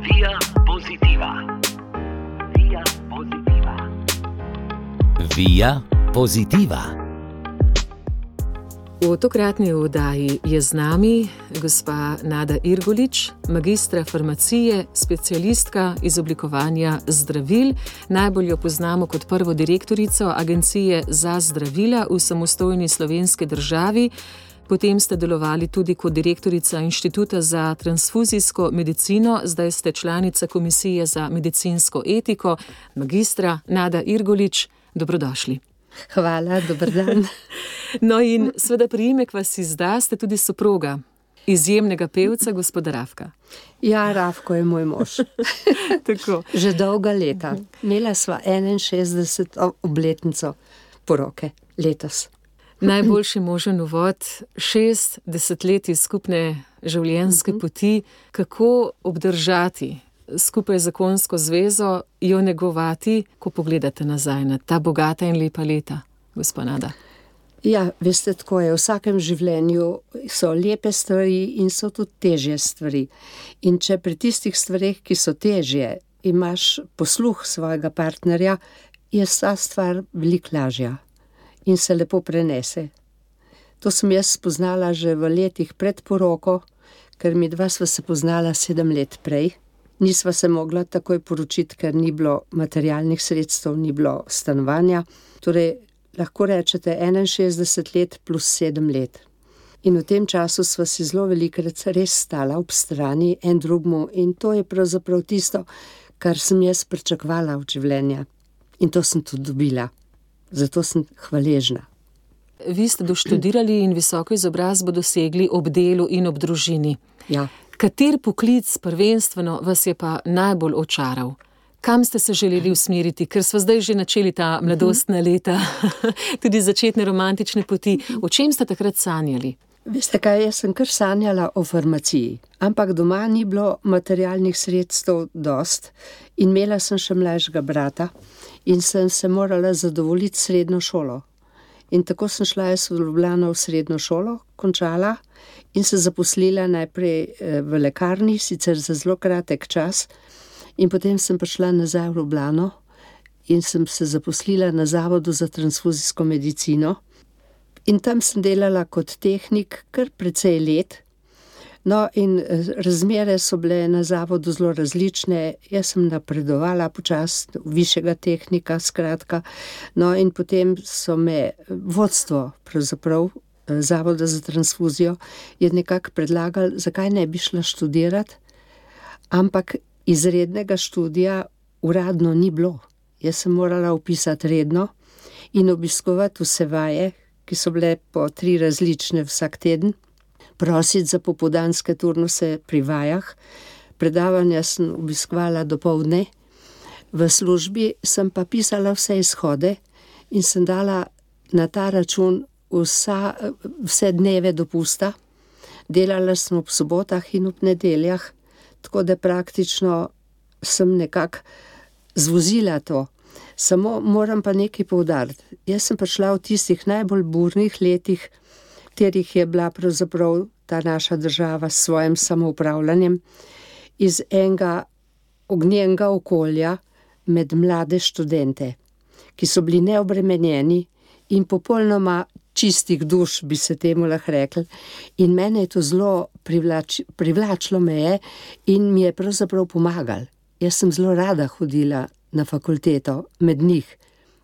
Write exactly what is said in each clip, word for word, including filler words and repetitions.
Via Positiva. Via Positiva. Via Positiva. V tokratni oddaji je z nami gospa Nada Irgolič, magistra farmacije, specialistka iz oblikovanja zdravil. Najbolj jo poznamo kot prvo direktorico Agencije za zdravila v samostojni slovenski državi. Potem ste delovali tudi kot direktorica Inštituta za transfuzijsko medicino, zdaj ste članica Komisije za medicinsko etiko. Magistra Nada Irgolič, dobrodošli. Hvala, dober dan. No in seveda priimek vas izda, ste tudi soproga izjemnega pevca, gospoda Rafka. Ja, Rafko je moj mož. Tako. Že dolga leta. Imela sva enainšestdeseto obletnico poroke letos. Najboljši možen uvod, šest desetletij skupne življenjske poti, kako obdržati skupaj zakonsko zvezo, jo negovati, ko pogledate nazaj na ta bogata in lepa leta, gospa Nada? Ja, veste, tako je. V vsakem življenju so lepe stvari in so tudi težje stvari. In če pri tistih stvareh, ki so težje, imaš posluh svojega partnerja, je ta stvar veliko lažja in se lepo prenese. To sem jaz spoznala že v letih pred poroko, ker mi dva sva se poznala sedem let prej. Nisva se mogla takoj poročiti, ker ni bilo materialnih sredstev, ni bilo stanovanja. Torej, lahko rečete enainšestdeset let plus sedem let. In v tem času sva si zelo velikrat res stala ob strani en drugmu in to je pravzaprav tisto, kar sem jaz pričakovala od življenja. In to sem tudi dobila. Zato sem hvaležna. Vi ste doštudirali in visoko izobrazbo dosegli ob delu in ob družini. Ja. Kater poklic prvenstveno vas je pa najbolj očaral? Kam ste se želeli usmeriti? Ker sva zdaj že načeli ta mladostna leta, tudi začetne romantične poti. O čem ste takrat sanjali? Veste kaj, jaz sem kar sanjala o farmaciji, ampak doma ni bilo materialnih sredstev dost in imela sem še mlajšega brata in sem se morala zadovoljiti srednjo šolo. In tako sem šla jaz v Ljubljano v srednjo šolo, končala in se zaposlila najprej v lekarni, sicer za zelo kratek čas, in potem sem prišla nazaj v Ljubljano in sem se zaposlila na Zavodu za transfuzijsko medicino. In tam sem delala kot tehnik kar precej let. No, in razmere so bile na zavodu zelo različne. Jaz sem napredovala počasi višjega tehnika, skratka. No, in potem so me vodstvo, pravzaprav Zavoda za transfuzijo, je nekako predlagali, zakaj ne bi šla študirati, ampak izrednega študija uradno ni bilo. Jaz sem morala vpisati redno in obiskovati vse vaje, ki so bile po tri različne vsak teden, prositi za popoldanske turnuse pri vajah. Predavanja sem obiskovala dopoldne, v službi sem pa pisala vse izhode in sem dala na ta račun vsa, vse dneve dopusta. Delala sem ob sobotah in ob nedeljah, tako da praktično sem nekako zvozila to. Samo moram pa nekaj poudariti. Jaz sem prišla v tistih najbolj burnih letih, katerih je bila pravzaprav ta naša država s svojim samoupravljanjem, iz enega ognjenega okolja med mlade študente, ki so bili neobremenjeni in popolnoma čistih duš, bi se temu lahko rekli. In mene je to zelo privlač, privlačilo me je in mi je pravzaprav pomagal. Jaz sem zelo rada hodila na fakulteto med njih,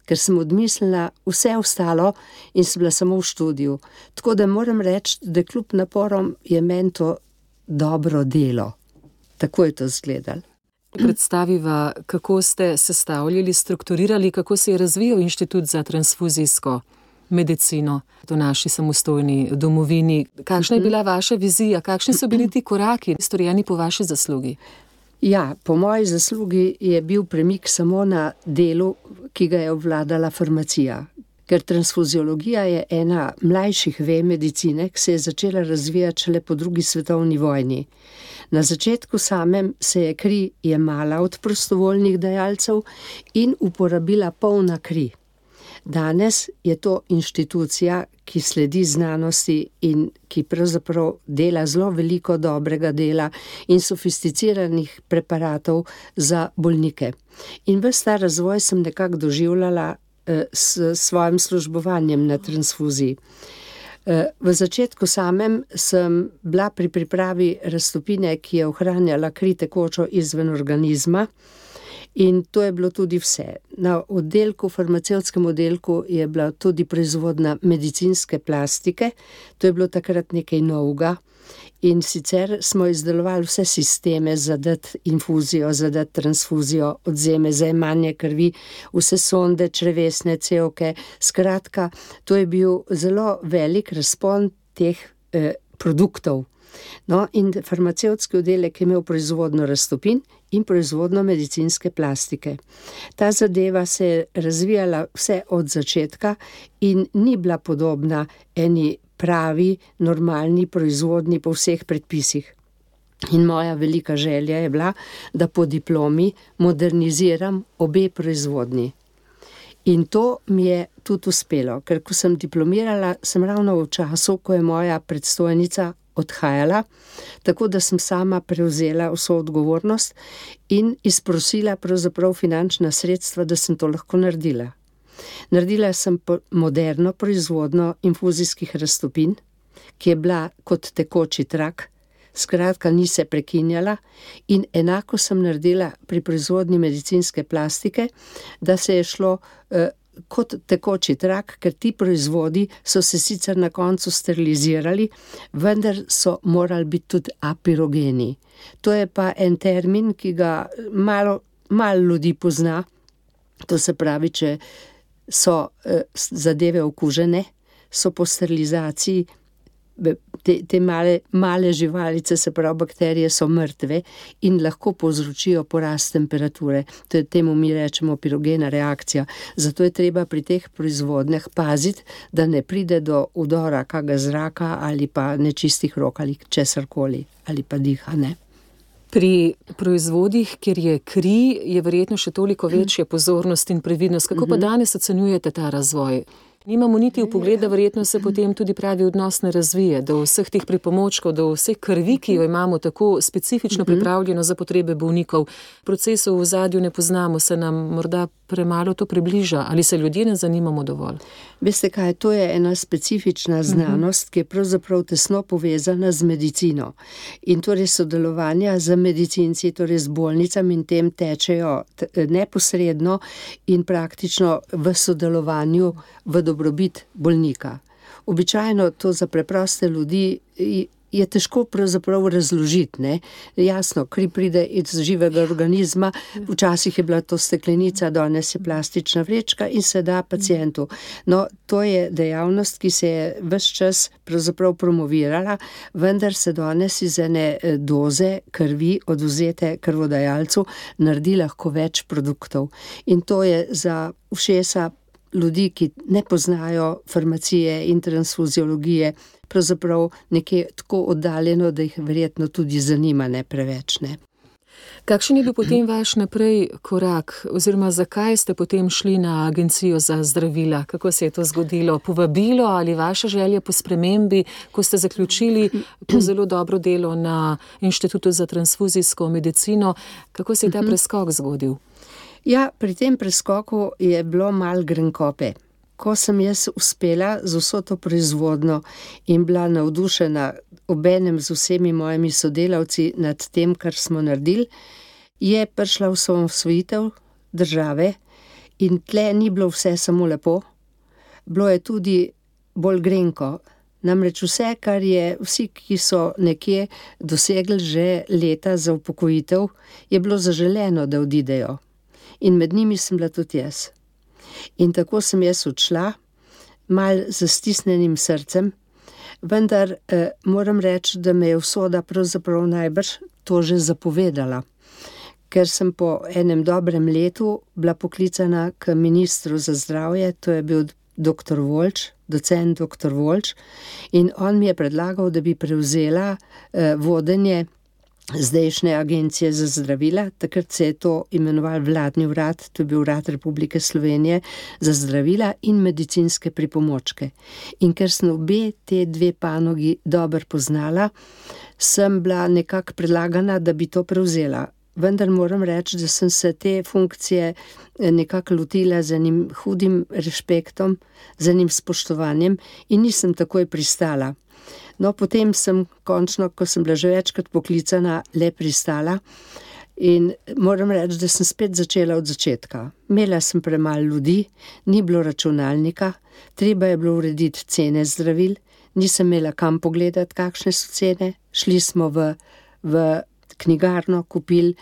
ker sem odmislila vse ostalo in sem bila samo v študiju. Tako da moram reči, da kljub naporom je meni to dobro delo. Tako je to izgledalo. Predstaviva, kako ste sestavljali, strukturirali, kako se je razvijal Inštitut za transfuzijsko medicino v naši samostojni domovini. Kakšna je bila vaša vizija, kakšni so bili ti koraki, storjeni po vaši zaslugi? Ja, po moji zaslugi je bil premik samo na delu, ki ga je obvladala farmacija. Ker transfuziologija je ena mlajših vej medicine, ki se je začela razvijati šele po drugi svetovni vojni. Na začetku samem se je kri jemala od prostovoljnih dajalcev in uporabila polna kri. Danes je to inštitucija, ki sledi znanosti in ki pravzaprav dela zelo veliko dobrega dela in sofisticiranih preparatov za bolnike. In ves ta razvoj sem nekako doživljala eh, s svojim službovanjem na transfuziji. V začetku samem sem bila pri pripravi raztopine, ki je ohranjala kri tekočo izven organizma, in to je bilo tudi vse. Na oddelku, farmacevtskem oddelku je bila tudi proizvodnja medicinske plastike, to je bilo takrat nekaj novega. In sicer smo izdelovali vse sisteme za dati infuzijo, za dati transfuzijo, odzeme za jemanje krvi, vse sonde, črevesne cevke. Skratka, to je bil zelo velik razpon teh eh, produktov. No, in farmacevtski oddelek je imel proizvodno raztopin in proizvodno medicinske plastike. Ta zadeva se je razvijala vse od začetka in ni bila podobna eni pravi, normalni proizvodni po vseh predpisih. In moja velika želja je bila, da po diplomi moderniziram obe proizvodni. In to mi je tudi uspelo, ker ko sem diplomirala, sem ravno v času, ko je moja predstojnica odhajala, tako da sem sama prevzela vso odgovornost in izprosila pravzaprav finančna sredstva, da sem to lahko naredila. Naredila sem moderno proizvodno infuzijskih raztopin, ki je bila kot tekoči trak, skratka ni se prekinjala, in enako sem naredila pri proizvodnji medicinske plastike, da se je šlo eh, kot tekoči trak, ker ti proizvodi so se sicer na koncu sterilizirali, vendar so morali biti tudi apirogeni. To je pa en termin, ki ga malo, malo ljudi pozna, to se pravi, če so eh, zadeve okužene, so po sterilizaciji, te, te male, male živalice, se pravi bakterije, so mrtve in lahko povzročijo porast temperature. To je, temu mi rečemo pirogena reakcija. Zato je treba pri teh proizvodnjah paziti, da ne pride do udora kakega zraka ali pa nečistih rok ali česarkoli ali pa diha, ne. Pri proizvodih, kjer je kri, je verjetno še toliko večja pozornost in previdnost. Kako pa danes ocenjujete ta razvoj? Nimamo niti vpogleda, verjetno se potem tudi pravi odnos ne razvije, do vseh teh pripomočkov, do vseh krvi, ki jo imamo tako specifično pripravljeno za potrebe bolnikov. Procesov v ozadju ne poznamo, se nam morda premalo to približa, ali se ljudje ne zanimamo dovolj? Veste kaj, to je ena specifična znanost, ki je pravzaprav tesno povezana z medicino. In torej sodelovanja z medicinci, torej z bolnicami in tem tečejo neposredno in praktično v sodelovanju v dobrobit bolnika. Običajno to za preproste ljudi je težko pravzaprav razložiti, ne. Jasno, kri pride iz živega organizma, včasih je bila to steklenica, danes je plastična vrečka in se da pacientu. No, to je dejavnost, ki se je ves čas pravzaprav promovirala, vendar se danes iz ene doze krvi odvzete krvodajalcu naredi lahko več produktov. In to je za ušesa ljudi, ki ne poznajo farmacije in transfuziologije, pravzaprav nekje tako oddaljeno, da jih verjetno tudi zanima ne preveč, ne. Kakšen je bil potem vaš naprej korak, oziroma zakaj ste potem šli na Agencijo za zdravila? Kako se je to zgodilo? Povabilo ali vaša želja po spremembi, ko ste zaključili to zelo dobro delo na Inštitutu za transfuzijsko medicino? Kako se je ta preskok zgodil? Ja, pri tem preskoku je bilo malo grenkobe. Ko sem jaz uspela z vso to proizvodno in bila navdušena obenem z vsemi mojimi sodelavci nad tem, kar smo naredili, je prišla osamosvojitev države in tle ni bilo vse samo lepo, bilo je tudi bolj grenko. Namreč vse, kar je vsi, ki so nekje dosegli že leta za upokojitev, je bilo zaželeno, da odidejo. In med njimi sem bila tudi jaz. In tako sem jaz odšla, malo z stisnjenim srcem, vendar eh, moram reči, da me je usoda pravzaprav najbrž to že zapovedala, ker sem po enem dobrem letu bila poklicana k ministru za zdravje, to je bil doktor Volč, docent doktor Volč, in on mi je predlagal, da bi prevzela eh, vodenje zdajšnje agencije za zdravila, takrat se je to imenoval vladni urad, to je bil Urad Republike Slovenije za zdravila in medicinske pripomočke. In ker sem obe te dve panogi dobro poznala, sem bila nekako predlagana, da bi to prevzela. Vendar moram reči, da sem se te funkcije nekako lotila z enim hudim respektom, z enim spoštovanjem in nisem takoj pristala. No, potem sem končno, ko sem bila že večkrat poklicana, le pristala in moram reči, da sem spet začela od začetka. Imela sem premalo ljudi, ni bilo računalnika, treba je bilo urediti cene zdravil, nisem imela kam pogledati, kakšne so cene, šli smo v, v knjigarno, kupili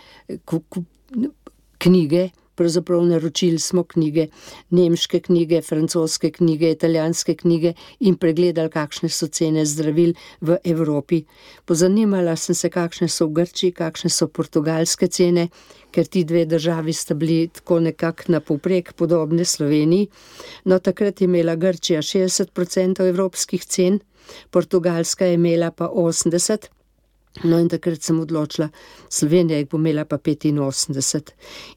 kup, kup, knjige, pravzaprav naročili smo knjige, nemške knjige, francoske knjige, italijanske knjige in pregledali, kakšne so cene zdravil v Evropi. Pozanimala sem se, kakšne so v Grčiji, kakšne so portugalske cene, ker ti dve državi sta bili tako nekako na povprek podobne Sloveniji. No, takrat je imela Grčija šestdeset procentov evropskih cen, Portugalska je imela pa osemdeset procentov. No, in takrat sem odločila, Slovenija jih bo imela pa petinosemdeset.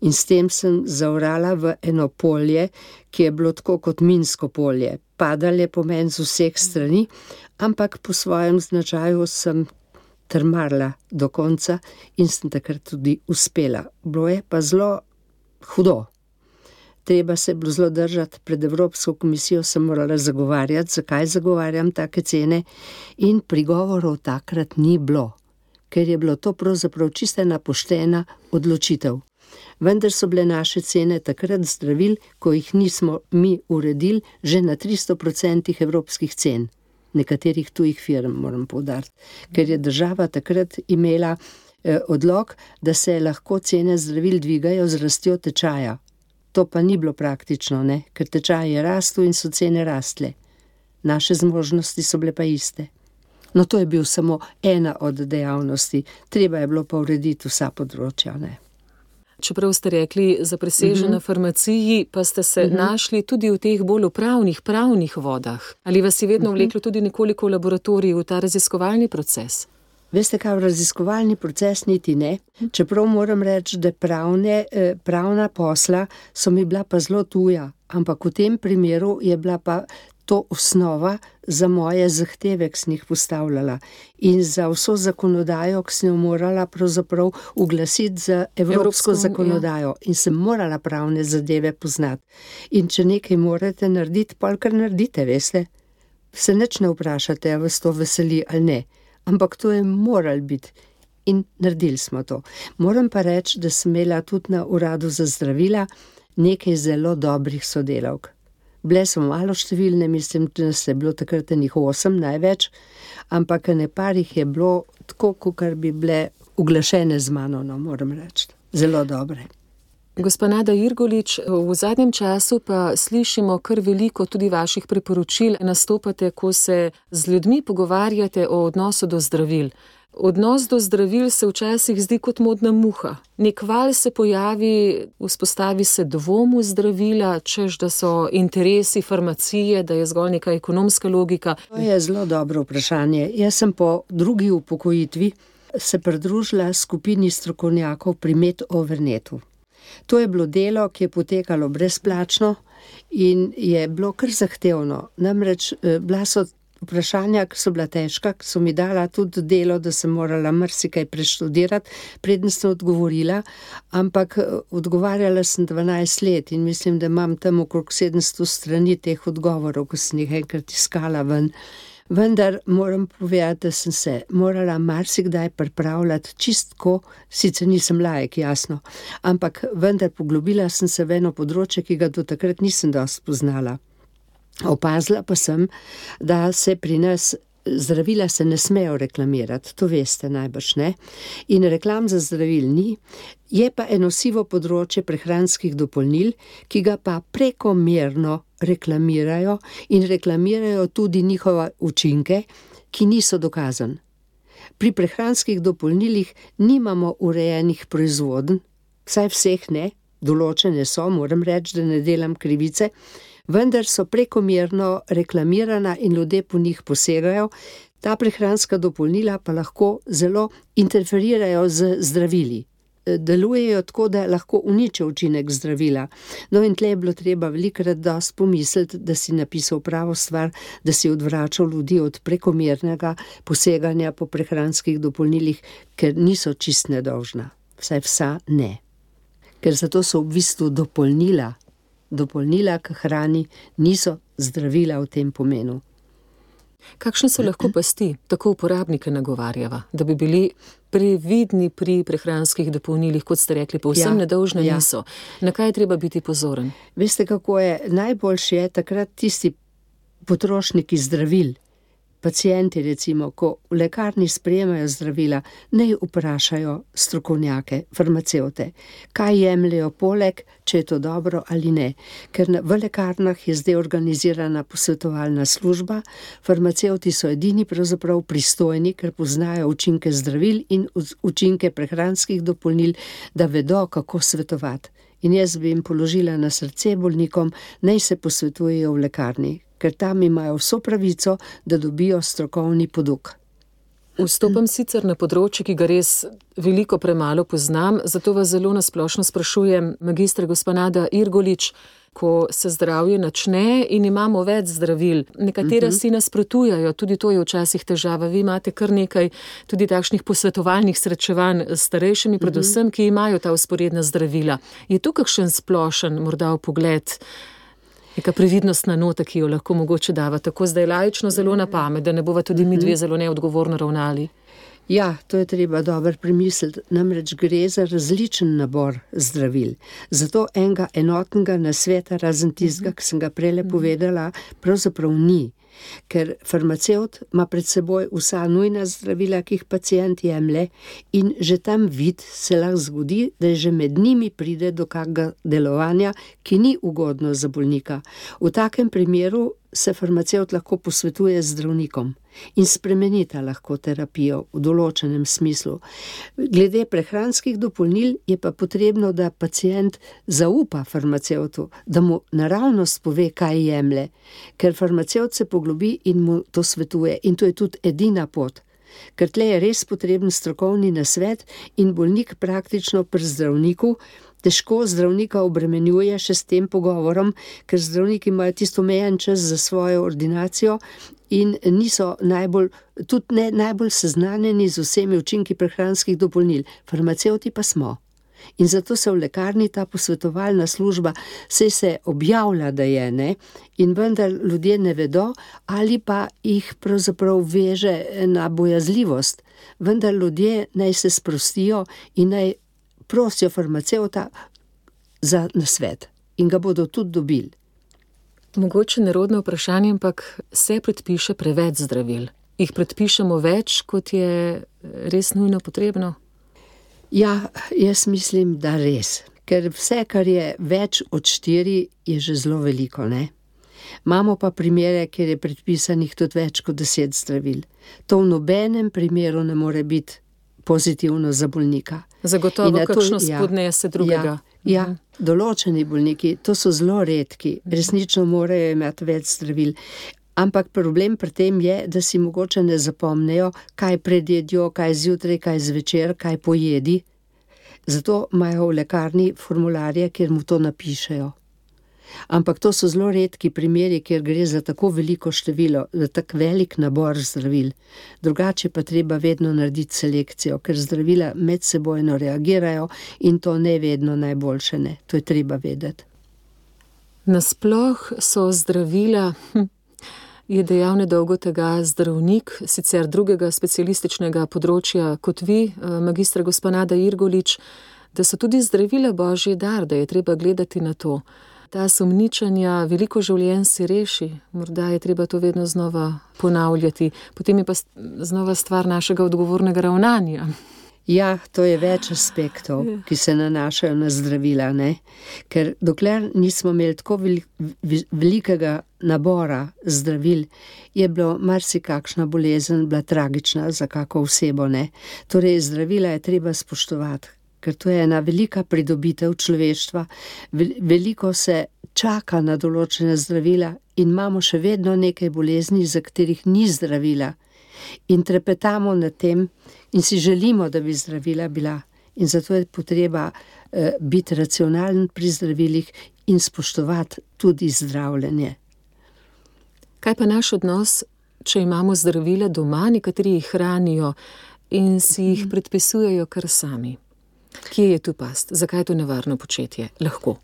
In s tem sem zaorala v eno polje, ki je bilo tako kot minsko polje. Padal je po meni z vseh strani, ampak po svojem značaju sem trmarila do konca in sem takrat tudi uspela. Bilo je pa zelo hudo. Treba se je bilo zelo držati, pred Evropsko komisijo sem morala zagovarjati, zakaj zagovarjam take cene, in prigovorov takrat ni bilo, ker je bilo to pravzaprav čisto ena poštena odločitev. Vendar so bile naše cene takrat zdravil, ko jih nismo mi uredili, že na tristo procentih evropskih cen, nekaterih tujih firm, moram poudariti, ker je država takrat imela eh, odlok, da se lahko cene zdravil dvigajo z rastjo tečaja. To pa ni bilo praktično, ne? Ker tečaj je rastel in so cene rastle. Naše zmožnosti so bile pa iste. No, to je bil samo ena od dejavnosti, treba je bilo pa urediti vsa področja, ne. Čeprav ste rekli zapresežena uh-huh. farmaciji, pa ste se uh-huh. našli tudi v teh bolj upravnih, pravnih vodah. Ali vas je vedno uh-huh. vleklo tudi nekoliko v laboratoriju, v ta raziskovalni proces? Veste kaj, v raziskovalni proces niti ne, čeprav moram reči, da pravne, pravna posla so mi bila pa zelo tuja, ampak v tem primeru je bila pa to osnova za moje zahteve, ki sem jih postavljala, in za vso zakonodajo, ki sem jo morala pravzaprav uglasiti za evropsko, evropsko zakonodajo, ja. In sem morala pravne zadeve poznati. In če nekaj morate narediti, pol kar naredite, veste, se nič ne vprašate, a vas to veseli ali ne, ampak to je moral biti in naredili smo to. Moram pa reči, da sem imela tudi na uradu za zdravila nekaj zelo dobrih sodelavk. Bile so malo številne, mislim, da se je bilo takrat enih osem največ, ampak ene par jih je bilo tako, kakor bi bile uglašene z mano, no, moram reči. Zelo dobre. Gospa Nada Irgolič, v zadnjem času pa slišimo kar veliko tudi vaših priporočil. Nastopate, ko se z ljudmi pogovarjate o odnosu do zdravil. Odnos do zdravil se včasih zdi kot modna muha. Nek val se pojavi, vzpostavi se dvom v zdravila, češ da so interesi farmacije, da je zgolj neka ekonomska logika. To je zelo dobro vprašanje. Jaz sem po drugi upokojitvi se pridružila skupini strokovnjakov pri Med-Overnetu. To je bilo delo, ki je potekalo brezplačno in je bilo kar zahtevno. Namreč bila so vprašanja, ki so bila težka, ki so mi dala tudi delo, da sem morala marsikaj preštudirati, preden sem odgovorila, ampak odgovarjala sem dvanajst let in mislim, da imam tam okrog sedemsto strani teh odgovorov, ko sem jih enkrat iskala ven. Vendar moram povedati, da sem se morala marsikdaj pripravljati čistko, sicer nisem laik, jasno, ampak vendar poglobila sem se v eno področje, ki ga do takrat nisem dosti poznala. Opazila pa sem, da se pri nas zdravila se ne smejo reklamirati, to veste najbrž, ne? In reklam za zdravil ni, je pa eno sivo področje prehranskih dopolnil, ki ga pa prekomerno reklamirajo in reklamirajo tudi njihove učinke, ki niso dokazani. Pri prehranskih dopolnilih nimamo urejenih proizvodenj, vsaj vseh ne, določene so, moram reči, da ne delam krivice, vendar so prekomerno reklamirana in ljudje po njih posegajo. Ta prehranska dopolnila pa lahko zelo interferirajo z zdravili. Delujejo tako, da lahko uničijo učinek zdravila. No in tle je bilo treba velikrat dosti pomisliti, da si napisal pravo stvar, da si odvračal ljudi od prekomernega poseganja po prehranskih dopolnilih, ker niso čist nedolžna. Vsaj vsa ne. Ker zato so v bistvu dopolnila. Dopolnila k hrani niso zdravila v tem pomenu. Kakšne so lahko pasti, tako uporabnike nagovarjava, da bi bili previdni pri prehranskih dopolnilih, kot ste rekli, povsem ja, nedolžne ja. niso. Na kaj je treba biti pozoren? Veste, kako je? Najboljši je takrat tisti potrošniki zdravil, pacienti recimo, ko v lekarni sprejemajo zdravila, naj vprašajo strokovnjake, farmacevte, kaj jemljejo poleg, če je to dobro ali ne. Ker v lekarnah je zdaj organizirana posvetovalna služba, farmacevti so edini pravzaprav pristojni, ker poznajo učinke zdravil in učinke prehranskih dopolnil, da vedo, kako svetovati. In jaz bi jim položila na srce bolnikom, naj se posvetujejo v lekarni, ker tam imajo vso pravico, da dobijo strokovni poduk. Vstopam sicer na področje, ki ga res veliko premalo poznam, zato vas zelo nasplošno sprašujem, magistra gospa Nada Irgolič, ko se zdravje načne in imamo več zdravil, nekatera uh-huh. si nasprotujajo, tudi to je včasih težava. Vi imate kar nekaj tudi takšnih posvetovalnih srečevanj s starejšimi, uh-huh. predvsem, ki imajo ta vzporedna zdravila. Je tu kakšen splošen morda vpogled, neka previdnostna nota, ki jo lahko mogoče dava, tako zdaj laično zelo na pamet, da ne bova tudi mi dve zelo neodgovorno ravnali? Ja, to je treba dobro premisliti, namreč gre za različen nabor zdravil. Zato enega enotnega nasveta, razen tistega, ki sem ga prele povedala, pravzaprav ni. Ker farmacevt ima pred seboj vsa nujna zdravila, ki jih pacient jemlje, in že tam vid se lahko zgodi, da že med njimi pride do kakega delovanja, ki ni ugodno za bolnika. V takem primeru se farmacevt lahko posvetuje z zdravnikom in spremenita lahko terapijo v določenem smislu. Glede prehranskih dopolnil je pa potrebno, da pacient zaupa farmacevtu, da mu naravnost pove, kaj jemlje, ker farmacevt se poglobi in mu to svetuje in to je tudi edina pot. Ker tle je res potreben strokovni nasvet in bolnik praktično pri zdravniku težko zdravnika obremenjuje še s tem pogovorom, ker zdravniki imajo tisto omejen čas za svojo ordinacijo in niso najbolj, tudi ne najbolj seznanjeni z vsemi učinki prehranskih dopolnil. Farmacevti pa smo. In zato se v lekarni ta posvetovalna služba saj se objavlja, da je, ne, in vendar ljudje ne vedo, ali pa jih pravzaprav veže na bojazljivost. Vendar ljudje naj se sprostijo in naj prosijo farmacevta za nasvet in ga bodo tudi dobili. Mogoče nerodno vprašanje, ampak se predpiše preveč zdravil. Jih predpišemo več, kot je res nujno potrebno? Ja, jaz mislim, da res. Ker vse, kar je več od štiri, je že zelo veliko, ne? Imamo pa primere, kjer je predpisanih tudi več kot deset zdravil. To v nobenem primeru ne more biti pozitivno za bolnika. Zagotovo kakšno spodnese drugega. Ja, ja, določeni bolniki, to so zelo redki, resnično morajo imeti več zdravil. Ampak problem pri tem je, da si mogoče ne zapomnejo, kaj predjedjo, kaj zjutraj, kaj zvečer, kaj pojedi. Zato imajo v lekarni formularje, kjer mu to napišejo. Ampak to so zelo redki primeri, kjer gre za tako veliko število, za tak velik nabor zdravil. Drugače pa treba vedno narediti selekcijo, ker zdravila medsebojno reagirajo in to ne vedno najboljše, ne. To je treba vedeti. Nasploh so zdravila, hm, je dejal nedolgo tega zdravnik, sicer drugega specialističnega področja kot vi, magistra gospa Nada Irgolič, da so tudi zdravila božji dar, da je treba gledati na to. Ta sumničanja, veliko življenj si reši, morda je treba to vedno znova ponavljati, potem je pa znova stvar našega odgovornega ravnanja. Ja, to je več aspektov, ki se nanašajo na zdravila, ne? Ker dokler nismo imeli tako velikega nabora zdravil, je bilo marsikakšna bolezen bila tragična za kako osebo, ne? Torej, zdravila je treba spoštovati, ker to je ena velika pridobitev človeštva. Veliko se čaka na določene zdravila in imamo še vedno nekaj bolezni, za katerih ni zdravila. In trepetamo nad tem in si želimo, da bi zdravila bila. In zato je potreba eh, biti racionalen pri zdravilih in spoštovati tudi zdravljenje. Kaj pa naš odnos, če imamo zdravila doma, nekateri jih hranijo in si jih predpisujejo kar sami? Kje je tu past? Zakaj je to nevarno početje? Lahko.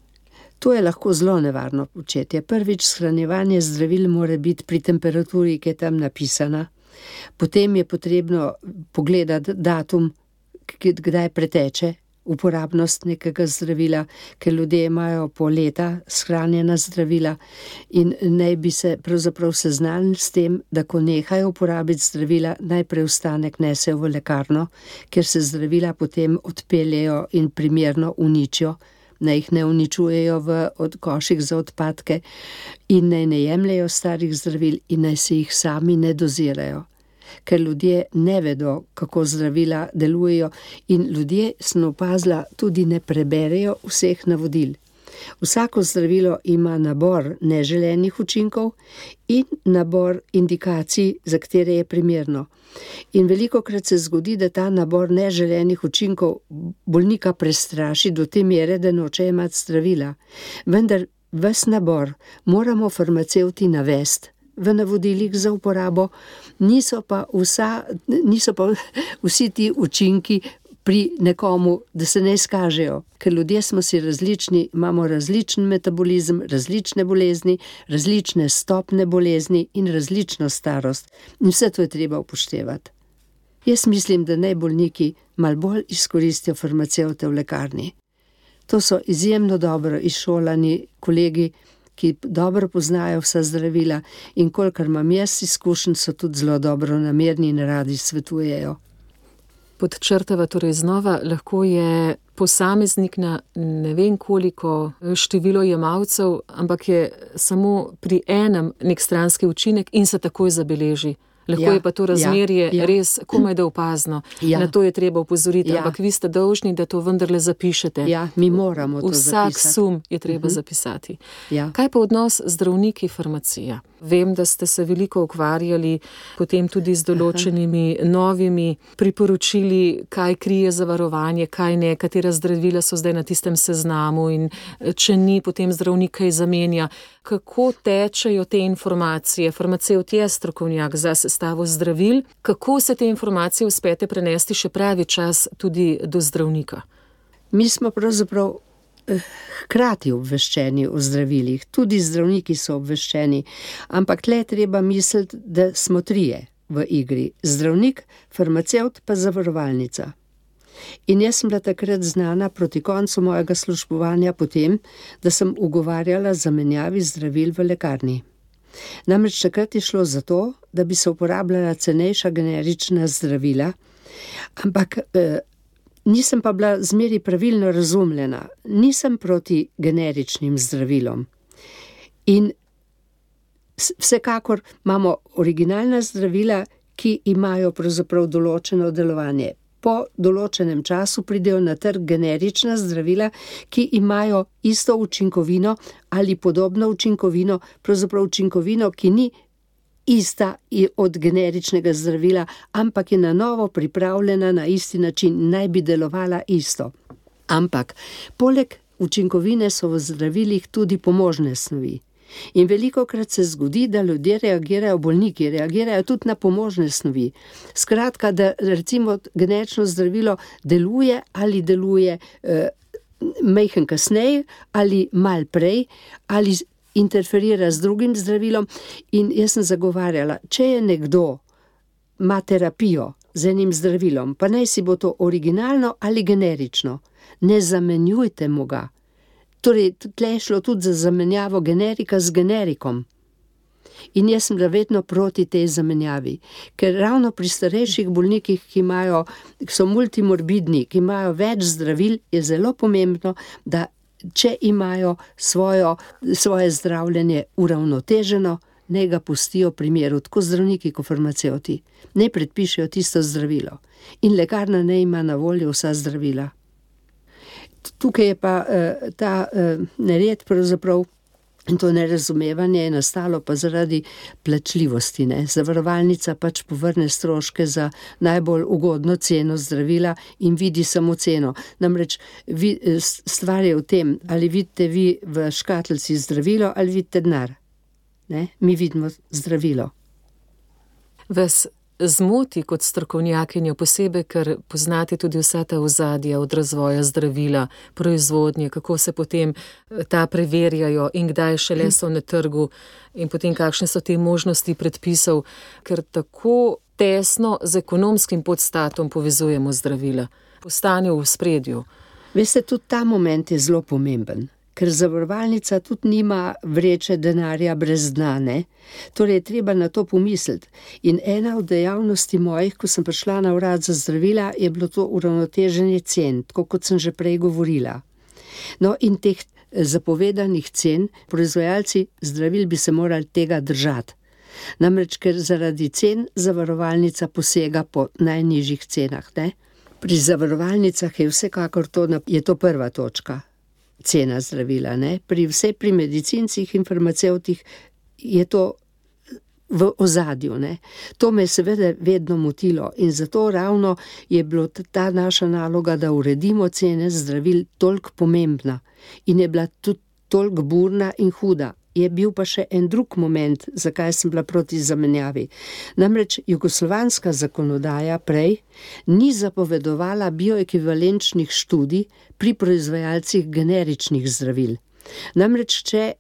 To je lahko zelo nevarno početje. Prvič, shranjevanje zdravil mora biti pri temperaturi, ki je tam napisana. Potem je potrebno pogledati datum, kdaj preteče uporabnost nekega zdravila, ker ljudje imajo po leta shranjena zdravila in naj bi se pravzaprav seznanili s tem, da ko nehajo uporabiti zdravila, najprej ostanek nesejo v lekarno, ker se zdravila potem odpeljejo in primerno uničijo, naj jih ne uničujejo v od koših za odpadke in naj ne jemljejo starih zdravil in naj se jih sami ne dozirajo. Ker ljudje ne vedo, kako zdravila delujejo in ljudje, sem opazila, tudi ne preberejo vseh navodil. Vsako zdravilo ima nabor neželenih učinkov in nabor indikacij, za katere je primerno. In velikokrat se zgodi, da ta nabor neželenih učinkov bolnika prestraši do te mere, da noče imati zdravila. Vendar ves nabor moramo farmacevti navesti v navodilih za uporabo, niso pa, vsa, niso pa vsi ti učinki pri nekomu, da se ne izkažejo, ker ljudje smo si različni, imamo različen metabolizem, različne bolezni, različne stopne bolezni in različno starost. In vse to je treba upoštevati. Jaz mislim, da naj bolniki malo bolj izkoristijo farmacevte v lekarni. To so izjemno dobro izšolani kolegi, ki dobro poznajo vsa zdravila in kolikor imam jaz izkušenj, so tudi zelo dobro namerni in radi svetujejo. Podčrtava torej znova, lahko je posameznik na ne vem koliko število jemalcev, ampak je samo pri enem nek stranski učinek in se takoj zabeleži. Lahko ja, je pa to razmerje ja, ja. res komaj da opazno. Ja. Na to je treba opozoriti, ja. ampak vi ste dolžni, da to vendarle zapišete. Ja, mi moramo to Vsak zapisati. sum je treba uh-huh. zapisati. Ja. Kaj pa odnos zdravniki farmacija? Vem, da ste se veliko ukvarjali potem tudi z določenimi Aha. novimi priporočili, kaj krije zavarovanje, kaj ne, katera zdravila so zdaj na tistem seznamu in če ni, potem zdravnik kaj zamenja. Kako tečejo te informacije? Farmacevt je strokovnjak za sestavo zdravil. Kako se te informacije uspete prenesti še pravi čas tudi do zdravnika? Mi smo pravzaprav hkrati obveščeni o zdravilih, tudi zdravniki so obveščeni, ampak tle treba misliti, da smo trije v igri. Zdravnik, farmacevt pa zavarovalnica. In jaz sem bila takrat znana proti koncu mojega službovanja potem, da sem ugovarjala zamenjavi zdravil v lekarni. Namreč takrat je šlo za to, da bi se uporabljala cenejša generična zdravila, ampak eh, nisem pa bila zmeri pravilno razumljena. Nisem proti generičnim zdravilom. In vsekakor imamo originalna zdravila, ki imajo pravzaprav določeno delovanje. Po določenem času pridejo na trg generična zdravila, ki imajo isto učinkovino ali podobno učinkovino, pravzaprav učinkovino, ki ni ista od generičnega zdravila, ampak je na novo pripravljena na isti način, naj bi delovala isto. Ampak poleg učinkovine so v zdravilih tudi pomožne snovi. In velikokrat se zgodi, da ljudje reagirajo, bolniki reagirajo tudi na pomožne snovi. Skratka, da recimo generično zdravilo deluje ali deluje eh, majhen kasneje ali mal prej ali interferira z drugim zdravilom. In jaz sem zagovarjala, če je nekdo ima terapijo z enim zdravilom, pa naj si bo to originalno ali generično, ne zamenjujte mu ga. Torej, tle je šlo tudi za zamenjavo generika z generikom. In jaz sem bila vedno proti tej zamenjavi, ker ravno pri starejših bolnikih, ki imajo, ki so multimorbidni, ki imajo več zdravil, je zelo pomembno, da če imajo svojo, svoje zdravljenje uravnoteženo, ne ga pustijo pri miru, tako zdravniki kot farmacevti. Ne predpišejo tisto zdravilo. In lekarna ne ima na voljo vsa zdravila. Tukaj je pa uh, ta uh, nered pravzaprav In to nerazumevanje je nastalo pa zaradi plačljivosti, ne. Zavarovalnica pač povrne stroške za najbolj ugodno ceno zdravila in vidi samo ceno. Namreč vi, stvar je v tem, ali vidite vi v škatlici zdravilo ali vidite denar. Ne? Mi vidimo zdravilo. Vas zmoti kot strokovnjakinjo posebej, ker poznate tudi vsa ta ozadja od razvoja zdravila, proizvodnje, kako se potem ta preverjajo in kdaj šele so na trgu in potem kakšne so te možnosti predpisov, ker tako tesno z ekonomskim podstatom povezujemo zdravila. Postane v spredju. Veste, tudi ta moment je zelo pomemben. Ker zavarovalnica tudi nima vreče denarja brez dna, ne? Torej je treba na to pomisliti. In ena od dejavnosti mojih, ko sem prišla na urad za zdravila, je bilo to uravnoteženje cen, tako kot sem že prej govorila. No, in teh zapovedanih cen, proizvajalci zdravil bi se morali tega držati. Namreč, ker zaradi cen zavarovalnica posega po najnižjih cenah, ne? Pri zavarovalnicah je vsekakor to, je to prva točka. Cena zdravila, ne. Pri vse pri medicincih in farmacevtih je to v ozadju, ne. To me je seveda vedno motilo in zato ravno je bilo ta naša naloga, da uredimo cene zdravil toliko pomembna in je bila tudi toliko burna in huda. Je bil pa še en drug moment, zakaj sem bila proti zamenjavi. Namreč jugoslovanska zakonodaja prej ni zapovedovala bioekvivalenčnih študij pri proizvajalcih generičnih zdravil. Namreč, če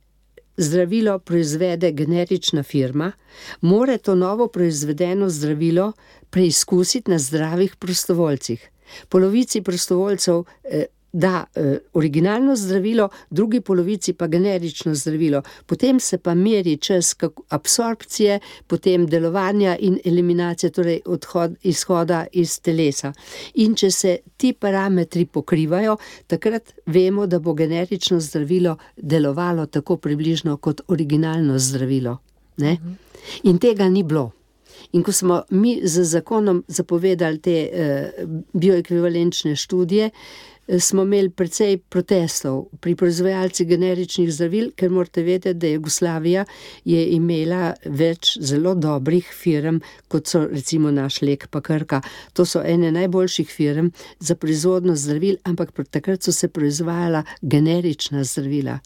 zdravilo proizvede generična firma, mora to novo proizvedeno zdravilo preizkusiti na zdravih prostovoljcih. Polovici prostovoljcev eh, da eh, originalno zdravilo, drugi polovici pa generično zdravilo. Potem se pa meri čas absorpcije, potem delovanja in eliminacije, torej odhod, izhoda iz telesa. In če se ti parametri pokrivajo, takrat vemo, da bo generično zdravilo delovalo tako približno kot originalno zdravilo. Ne? In tega ni bilo. In ko smo mi z zakonom zapovedali te eh, bioekvivalenčne študije, smo imeli precej protestov pri proizvajalcih generičnih zdravil, ker morate vedeti, da Jugoslavija je imela več zelo dobrih firm, kot so recimo naš Lek pa Krka. To so ene najboljših firm za proizvodno zdravil, ampak takrat so se proizvajala generična zdravila.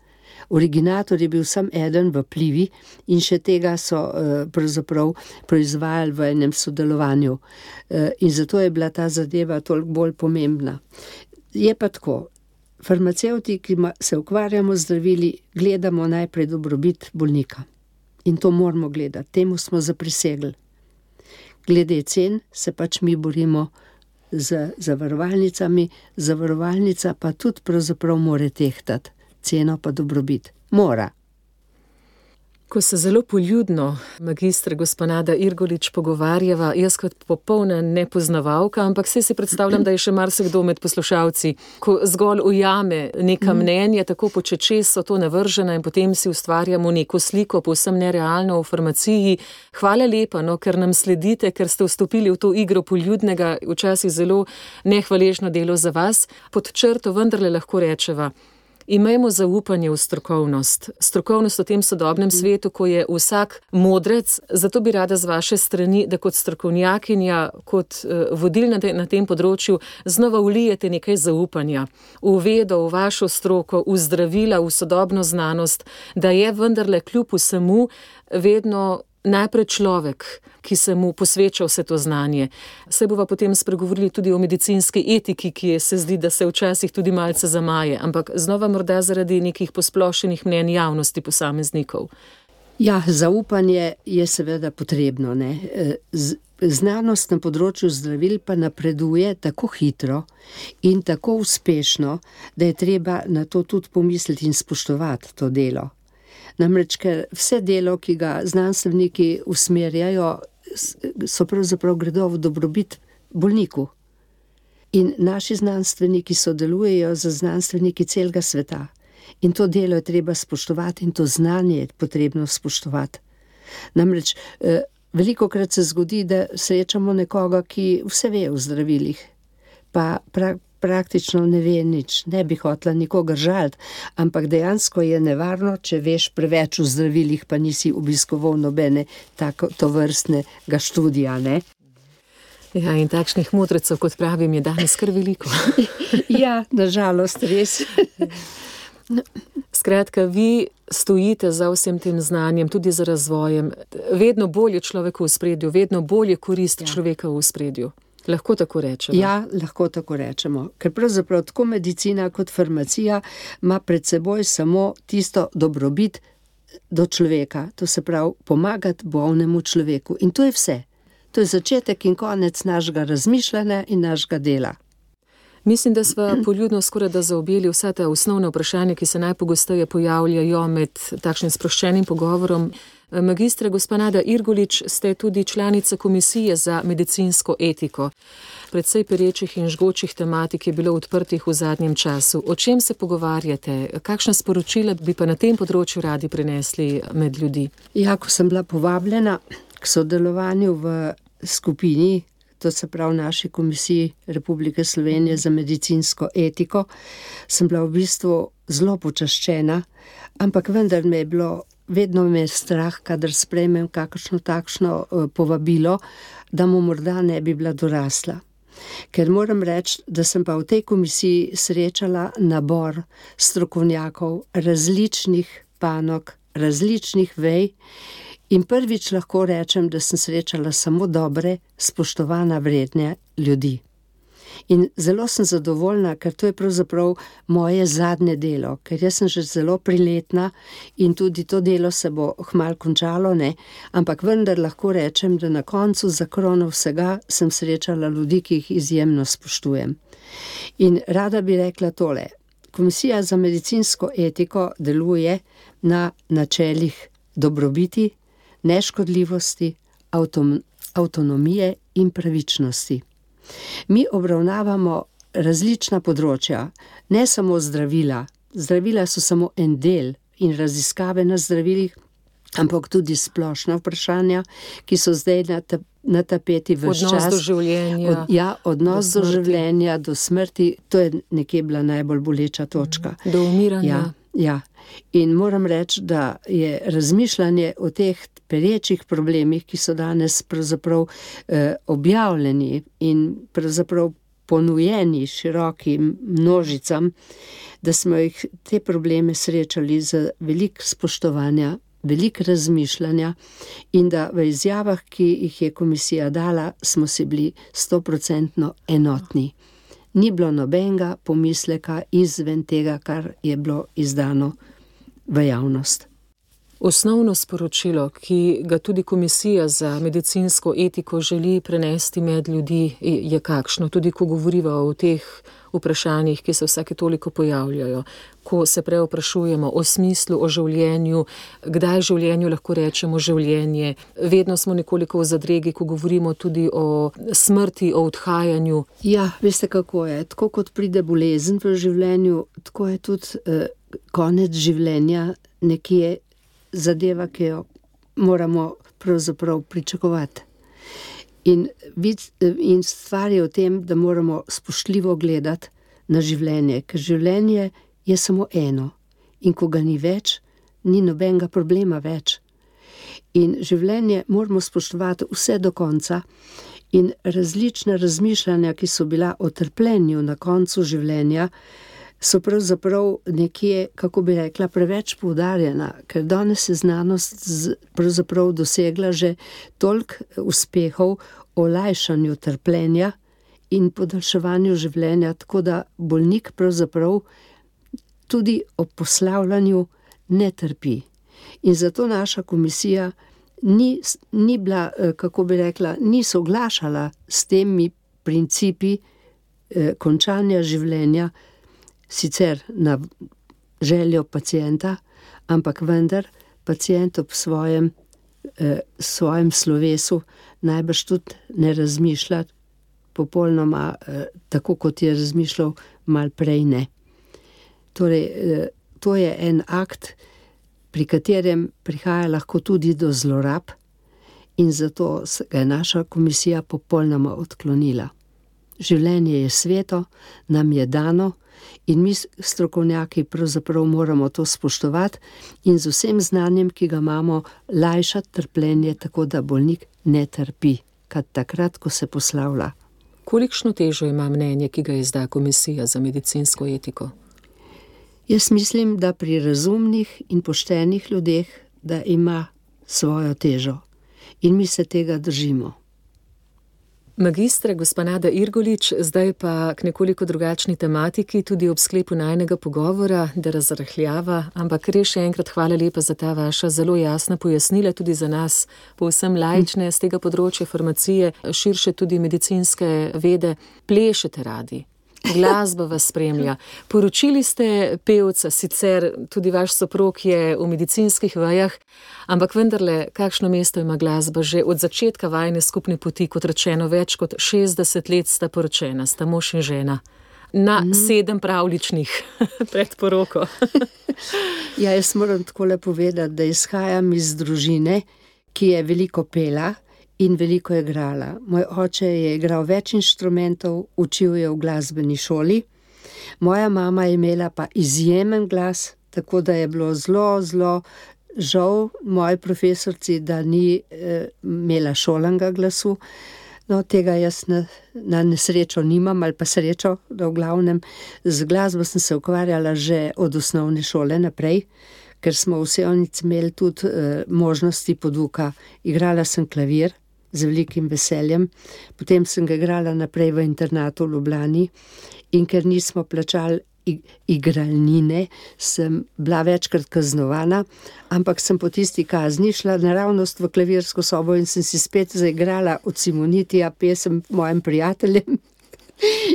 Originator je bil sam eden v Plivi in še tega so uh, pravzaprav proizvajali v enem sodelovanju. Uh, in zato je bila ta zadeva toliko bolj pomembna. Je pa tako, farmacevti, ki se ukvarjamo z zdravili, gledamo najprej dobrobit bolnika. In to moramo gledati, temu smo zaprisegli. Glede cen se pač mi borimo z zavarovalnicami, zavarovalnica pa tudi pravzaprav mora tehtati, ceno pa dobrobit. Mora. Ko se zelo poljudno, magistra gospa Nada Irgolič, pogovarjava, jaz kot popolna nepoznavalka, ampak saj si predstavljam, da je še marsikdo med poslušalci, ko zgolj ujame neka mnenja, tako počečes so to navržena in potem si ustvarjamo neko sliko, povsem nerealno v farmaciji. Hvala lepa, no, ker nam sledite, ker ste vstopili v to igro poljudnega, včasih zelo nehvaležno delo za vas. Pod črto vendarle lahko rečeva, imejmo zaupanje v strokovnost. Strokovnost v tem sodobnem svetu, ko je vsak modrec, zato bi rada z vaše strani, da kot strokovnjakinja, kot uh, vodilna na tem področju, znova vlijete nekaj zaupanja v vedo, v vašo stroko, v zdravila, v sodobno znanost, da je vendarle kljub vsemu vedno najprej človek, ki se mu posveča vse to znanje. Se bova potem spregovorili tudi o medicinski etiki, ki je, se zdi, da se včasih tudi malce zamaje, ampak znova morda zaradi nekih posplošenih mnenj javnosti posameznikov. Ja, zaupanje je seveda potrebno, ne. Z, znanost na področju zdravil pa napreduje tako hitro in tako uspešno, da je treba na to tudi pomisliti in spoštovati to delo. Namreč, ker vse delo, ki ga znanstveniki usmerjajo, so pravzaprav gredo v dobrobit bolniku. In naši znanstveniki sodelujejo z znanstveniki celega sveta. In to delo je treba spoštovati in to znanje je potrebno spoštovati. Namreč, velikokrat se zgodi, da srečamo nekoga, ki vse ve o zdravilih, pa pra, praktično ne ve nič, ne bi hotela nikogar žaliti, ampak dejansko je nevarno, če veš preveč o zdravilih, pa nisi obiskoval nobene tako tovrstnega študija, ne? Ja, in takšnih mudrecev, kot pravim, je danes kar veliko. Ja, nažalost, res. Skratka, vi stojite za vsem tem znanjem, tudi za razvojem. Vedno bolje človeka v spredju, vedno bolje korist ja. človeka v spredju. Lahko tako rečemo? Ja, lahko tako rečemo. Ker pravzaprav tako medicina kot farmacija ima pred seboj samo tisto dobrobit do človeka. To se pravi, pomagati bolnemu človeku. In to je vse. To je začetek in konec našega razmišljanja in našega dela. Mislim, da sva poljudno skoraj da zaobjeli vsa ta osnovna vprašanja, ki se najpogosteje pojavljajo med takšnim sproščenim pogovorom. Magistra gospa Nada Irgolič, ste tudi članica Komisije za medicinsko etiko. Precej perečih in žgočih tematik je bilo odprtih v zadnjem času. O čem se pogovarjate? Kakšna sporočila bi pa na tem področju radi prinesli med ljudi? Ja, ko sem bila povabljena k sodelovanju v skupini, to se pravi naši Komisiji Republike Slovenije za medicinsko etiko, sem bila v bistvu zelo počaščena, ampak vendar me je bilo, vedno me je strah, kadar sprejmem kakšno takšno povabilo, da mu morda ne bi bila dorasla. Ker moram reči, da sem pa v tej komisiji srečala nabor strokovnjakov različnih panog, različnih vej, in prvič lahko rečem, da sem srečala samo dobre, spoštovana vredne ljudi. In zelo sem zadovoljna, ker to je pravzaprav moje zadnje delo, ker jaz sem že zelo priletna in tudi to delo se bo kmalu končalo, ne, ampak vendar lahko rečem, da na koncu za krono vsega sem srečala ljudi, ki jih izjemno spoštujem. In rada bi rekla tole, Komisija za medicinsko etiko deluje na načelih dobrobiti, neškodljivosti, avtom, avtonomije in pravičnosti. Mi obravnavamo različna področja, ne samo zdravila. Zdravila so samo en del in raziskave na zdravilih, ampak tudi splošna vprašanja, ki so zdaj na, ta, na tapeti ves čas. Odnos do življenja. Od, ja, odnos do, do življenja, do smrti, to je nekje bila najbolj boleča točka. Do umiranja. Ja, ja. In moram reči, da je razmišljanje o teh perečih problemih, ki so danes pravzaprav eh, objavljeni in pravzaprav ponujeni širokim množicam, da smo jih te probleme srečali z veliko spoštovanja, veliko razmišljanja in da v izjavah, ki jih je komisija dala, smo si bili stoprocentno enotni. Ni bilo nobenega pomisleka izven tega, kar je bilo izdano v javnost. Osnovno sporočilo, ki ga tudi Komisija za medicinsko etiko želi prenesti med ljudi, je kakšno, tudi ko govoriva o teh vprašanjih, ki se vsake toliko pojavljajo, ko se preoprašujemo o smislu, o življenju, kdaj življenju lahko rečemo življenje. Vedno smo nekoliko v zadregi, ko govorimo tudi o smrti, o odhajanju. Ja, veste kako je, tako kot pride bolezen v življenju, tako je tudi eh, konec življenja nekje zadeva, ki jo moramo pravzaprav pričakovati. In, in stvar je v tem, da moramo spoštljivo gledati na življenje, ker življenje je samo eno. In ko ga ni več, ni nobenega problema več. In življenje moramo spoštovati vse do konca in različna razmišljanja, ki so bila o trpljenju na koncu življenja, so pravzaprav nekje, kako bi rekla, preveč poudarjena, ker danes je znanost z, pravzaprav dosegla že toliko uspehov o lajšanju trpljenja in podaljševanju življenja, tako da bolnik pravzaprav tudi ob poslavljanju ne trpi. In zato naša komisija ni, ni bila, kako bi rekla, ni soglašala s temi principi eh, končanja življenja, sicer na željo pacienta, ampak vendar pacient ob svojem, eh, svojem slovesu najbrž tudi ne razmišlja popolnoma eh, tako, kot je razmišljal mal prej ne. Torej, eh, to je en akt, pri katerem prihaja lahko tudi do zlorab in zato ga je naša komisija popolnoma odklonila. Življenje je sveto, nam je dano in mi strokovnjaki pravzaprav moramo to spoštovati in z vsem znanjem, ki ga imamo, lajšati trpljenje, tako da bolnik ne trpi, kad takrat, ko se poslavlja. Kolikšno težo ima mnenje, ki ga izda Komisija za medicinsko etiko? Jaz mislim, da pri razumnih in poštenih ljudeh, da ima svojo težo in mi se tega držimo. Magistra, gospa Nada Irgolič, zdaj pa k nekoliko drugačni tematiki, tudi ob sklepu najnega pogovora, da razrahljava, ampak res še enkrat hvala lepa za ta vaša zelo jasna pojasnila, tudi za nas, povsem laične z tega področja farmacije, širše tudi medicinske vede. Plešete radi, glasba vas spremlja. Poročili ste pevca, sicer tudi vaš soprog je v medicinskih vejah, ampak vendarle, kakšno mesto ima glasba že od začetka vajine skupne poti, kot rečeno, več kot šestdeset let sta poročena, sta mož in žena. Na mm. sedem pravličnih pred poroko. Ja, jaz moram takole povedati, da izhajam iz družine, ki je veliko pela in veliko igrala. Moj oče je igral več inštrumentov, učil je v glasbeni šoli. Moja mama je imela pa izjemen glas, tako da je bilo zelo, zelo žal moji profesorci, da ni eh, imela šolanga glasu. No, tega jaz na, na nesrečo nimam, ali pa srečo, da v glavnem z glasbo sem se ukvarjala že od osnovne šole naprej, ker smo v Sevnici imeli tudi eh, možnosti poduka. Igrala sem klavir z velikim veseljem, potem sem ga igrala naprej v internatu v Ljubljani in ker nismo plačali igralnine, sem bila večkrat kaznovana, ampak sem po tisti kazni šla naravnost v klavirsko sobo in sem si spet zaigrala od Simonitija pesem mojim prijateljem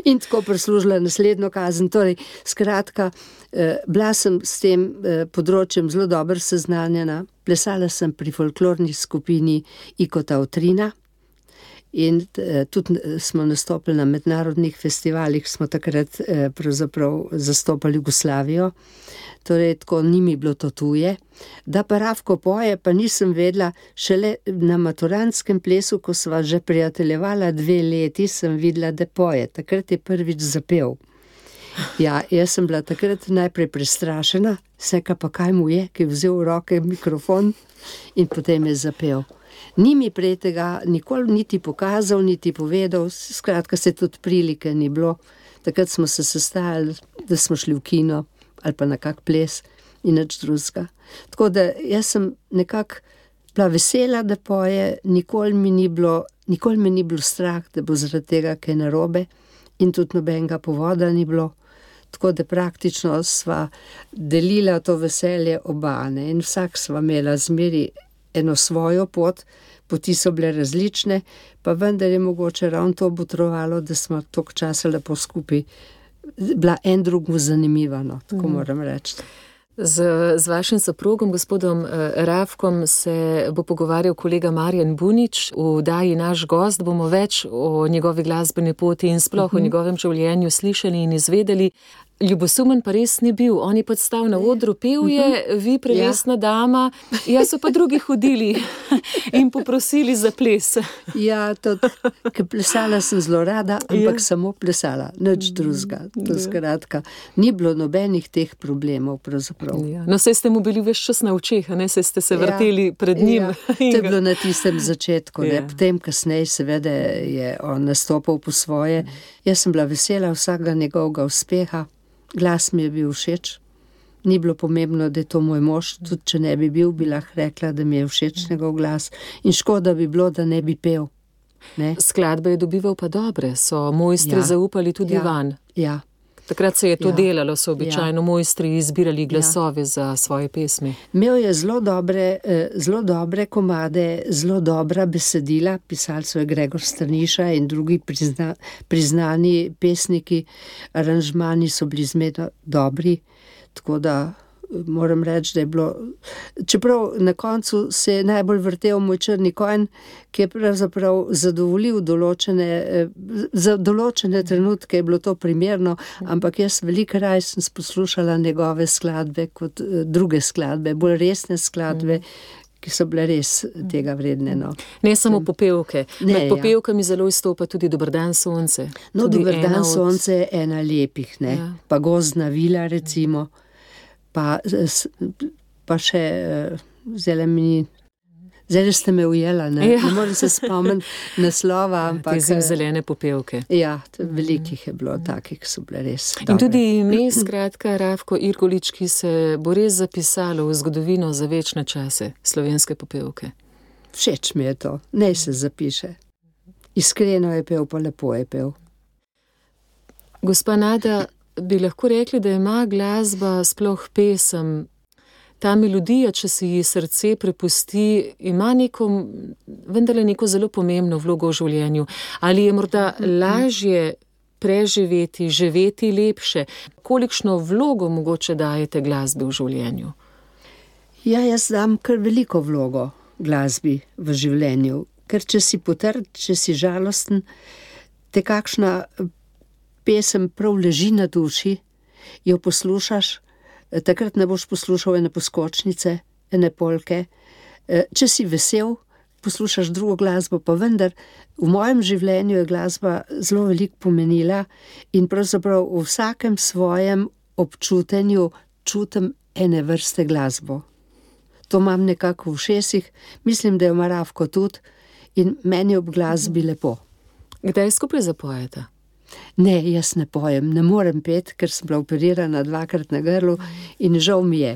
in tako prislužila naslednjo kazen. Torej, skratka, eh, bila sem s tem eh, področjem zelo dobro seznanjena. Plesala sem pri folklorni skupini Ikota Utrina in eh, tudi smo nastopili na mednarodnih festivalih, smo takrat eh, pravzaprav zastopali Jugoslavijo, torej tako ni mi bilo to tuje. Da pa Rafko poje, pa nisem vedela, šele na maturantskem plesu, ko sva že prijateljevala dve leti, sem videla, da poje. Takrat je prvič zapel. Ja, jaz sem bila takrat najprej prestrašena, vseka pa kaj mu je, ki je vzel v roke mikrofon in potem je zapel. Ni mi prej tega nikoli niti pokazal, niti povedal, skratka se tudi prilike ni bilo. Takrat smo se sestajali, da smo šli v kino ali pa na kak ples in nič drugega. Tako da jaz sem nekako bila vesela, da poje, nikoli mi ni bilo, nikoli mi ni bilo strah, da bo zaradi tega kaj narobe in tudi nobenega povoda ni bilo. Tako da praktično sva delila to veselje oba, ne, in vsak sva imela zmeri eno svojo pot, poti so bile različne, pa vendar je mogoče ravno to botrovalo, da smo toliko časa lepo skupaj bila en drugemu zanimiva, no, tako mm. moram reči. Z, z vašim soprogom, gospodom Rafkom, se bo pogovarjal kolega Marjan Bunič. V oddaji Naš gost bomo več o njegovi glasbeni poti in sploh uh-huh. o njegovem življenju slišali in izvedeli. Ljubosumen pa res ni bil, on je pa stal na odru, pel je, uh-huh. vi prelesna ja. dama, jaz so pa drugi hodili in poprosili za ples. Ja, to, ker plesala sem zelo rada, ampak ja. samo plesala, nič drugega. To ja. skratka, ni bilo nobenih teh problemov pravzaprav. Ja. No, saj ste mu bili ves čas na očeh, ne, saj ste se vrteli ja. pred njim. Ja. To je bilo na tistem začetku, ja. ne, potem kasneje seveda je on nastopal po svoje. Jaz sem bila vesela vsakega njegovega uspeha. Glas mi je bil všeč, ni bilo pomembno, da je to moj mož, tudi če ne bi bil, bi lahko rekla, da mi je všeč njegov glas in škoda bi bilo, da ne bi pel. Ne? Skladbe je dobival pa dobre, so mojstri ja. zaupali tudi ja. van. Ja. Takrat se je to ja. delalo, so običajno ja. mojstri izbirali glasove ja. za svoje pesmi. Imel je zelo dobre, zelo dobre komade, zelo dobra besedila, pisali so je Gregor Strniša in drugi prizna, priznani pesniki, aranžmani so bili zmerno dobri, tako da moram reči, da je bilo, čeprav na koncu se je najbolj vrtel moj črni konj, ki je pravzaprav zadovoljil določene, za določene trenutke je bilo to primerno, ampak jaz veliko raj sem poslušala njegove skladbe kot druge skladbe, bolj resne skladbe, ki so bile res tega vredne. No. Ne samo popevke. Ne, Med ja. popevkami zelo izstopa tudi Dober dan, sonce. No, Tudi Dober ena dan, od- sonce je ena lepih, ne. Ja. Pa Gozdna vila, recimo, pa, s- pa še, eh, zdajle mi, zdajle ste me ujela, ne, Ja. ne morem se spomniti naslova, Te ampak, zimzelene popevke. ja, t- velikih je bilo takih, ki so bile res In dobre. tudi ime, skratka, Rafko Irgolič, ki se bo res zapisalo v zgodovino za večne čase slovenske popevke. Všeč mi je to, naj se zapiše. Iskreno je pel, pa lepo je pel. Gospa Nada, bi lahko rekli, da ima glasba, sploh pesem, ta melodija, če si ji srce prepusti, ima neko, vendarle neko zelo pomembno vlogo v življenju. Ali je morda lažje preživeti, živeti lepše? Kolikšno vlogo mogoče dajete glasbi v življenju? Ja, jaz dam kar veliko vlogo glasbi v življenju, ker če si potrd, če si žalosten, te kakšna pesem prav leži na duši, jo poslušaš, takrat ne boš poslušal ene poskočnice, ene polke. Če si vesel, poslušaš drugo glasbo, pa vendar v mojem življenju je glasba zelo veliko pomenila in pravzaprav v vsakem svojem občutenju čutim ene vrste glasbo. To imam nekako v ušesih, mislim, da jo ima Rafko tudi in meni ob glasbi lepo. Kdaj skupaj zapojete? Ne, jaz ne pojem, ne morem peti, ker sem bila operirana dvakrat na grlu in žal mi je.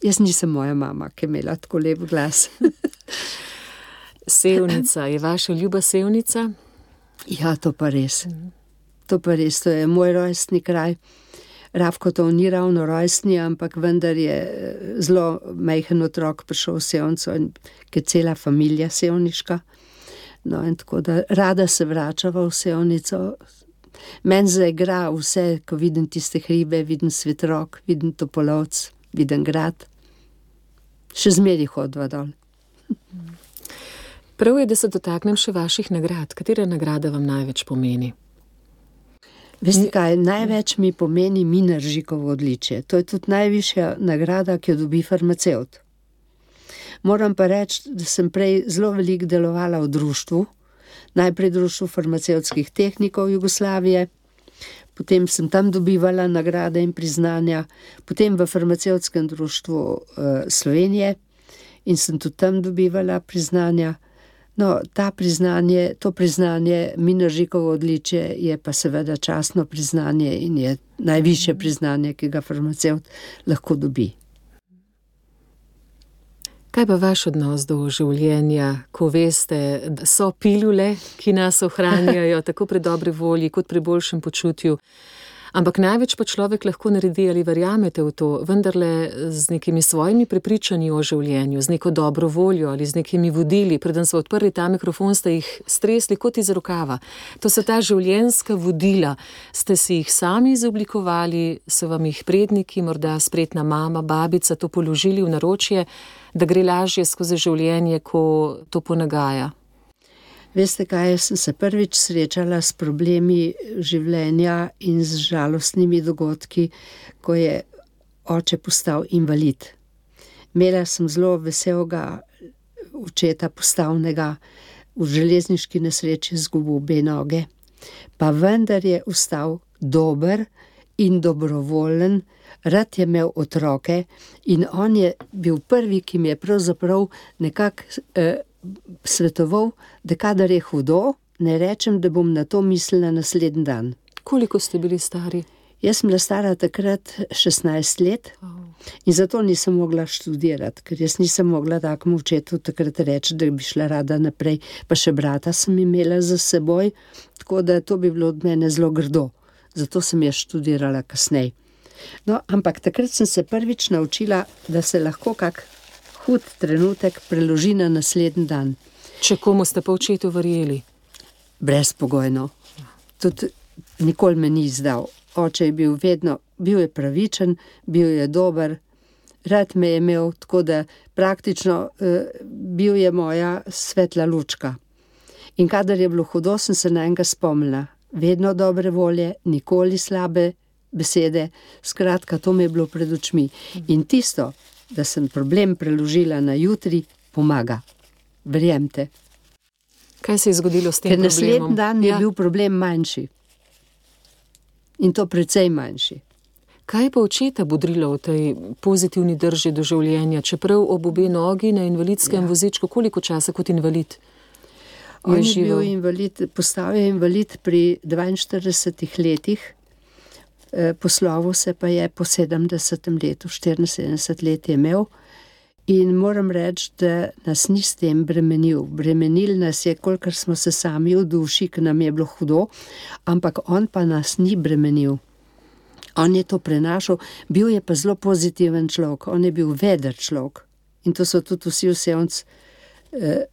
Jaz nisem moja mama, ki je imela tako lep glas. Sevnica, je vaša ljuba Sevnica? Ja, to pa res. To pa res, to je moj rojstni kraj. Rafko to ni ravno rojstni, ampak vendar je zelo majhen otrok prišel v Sevnico in ki je cela familija sevniška. No, in tako da rada se vračava v Sevnico. Meni zaigra vse, ko vidim tiste hribe, vidim Svetrok, vidim Topolovc, vidim grad. Še zmeraj hodiva dol. Prav je, da se dotaknem še vaših nagrad. Katera nagrada vam največ pomeni? Veste kaj, največ mi pomeni Mineržikovo odličje. To je tudi najvišja nagrada, ki jo dobi farmacevt. Moram pa reči, da sem prej zelo veliko delovala v društvu, najprej društvu farmacevtskih tehnikov Jugoslavije, potem sem tam dobivala nagrade in priznanja, potem v farmacevtskem društvu uh, Slovenije in sem tudi tam dobivala priznanja. No, ta priznanje, to priznanje, Mineržikovo odličje, je pa seveda častno priznanje in je najvišje priznanje, ki ga farmacevt lahko dobi. Kaj pa vaš odnos do življenja, ko veste, da so pilule, ki nas ohranjajo tako pri dobri volji, kot pri boljšem počutju, ampak največ pa človek lahko naredi, ali verjamete v to, vendarle z nekimi svojimi prepričanji o življenju, z neko dobro voljo ali z nekimi vodili. Preden so odprli ta mikrofon, ste jih stresli kot iz rokava. To so ta življenjska vodila. Ste si jih sami izoblikovali, so vam jih predniki, morda spretna mama, babica to položili v naročje, da gre lažje skozi življenje, ko to ponagaja? Veste kaj, jaz sem se prvič srečala s problemi življenja in z žalostnimi dogodki, ko je oče postal invalid. Imela sem zelo veselega očeta postavnega, v železniški nesreči izgubil obe noge, pa vendar je ostal dober in dobrovoljen, rad je imel otroke in on je bil prvi, ki mi je pravzaprav nekako eh, svetoval, da kadar je hudo, ne rečem, da bom na to mislila naslednji dan. Koliko ste bili stari? Jaz sem bila stara takrat šestnajst let in zato nisem mogla študirati, ker jaz nisem mogla takemu očetu takrat reči, da bi šla rada naprej, pa še brata sem imela za seboj, tako da to bi bilo od mene zelo grdo. Zato sem jaz študirala kasneje. No, ampak takrat sem se prvič naučila, da se lahko kak hud trenutek preloži na naslednji dan. Če komu ste pa očetu verjeli? Brezpogojno. Tudi nikoli me ni izdal. Oče je bil vedno, bil je pravičen, bil je dober, rad me je imel, tako da praktično eh, bil je moja svetla lučka. In kadar je bilo hudo, sem se na enega spomnila. Vedno dobre volje, nikoli slabe besede, skratka, to mi je bilo pred očmi. In tisto, da sem problem preložila na jutri, pomaga. Verjemte. Kaj se je zgodilo s tem Ker problemom? naslednji dan je Ja. bil problem manjši. In to precej manjši. Kaj je pa očeta bodrilo v tej pozitivni drži do življenja, čeprav ob obe nogi na invalidskem Ja. vozičku, koliko časa kot invalid? On je živel? bil invalid, postal je invalid pri dvainštiridesetih letih, eh, poslovil se pa je po sedemdesetem letu, štiriinsedemdeset let je imel. In moram reči, da nas ni s tem bremenil. Bremenil nas je, kolikor smo se sami v duši, ker nam je bilo hudo, ampak on pa nas ni bremenil. On je to prenašal, bil je pa zelo pozitiven človek, on je bil veder človek. In to so tudi vsi vsevnc eh,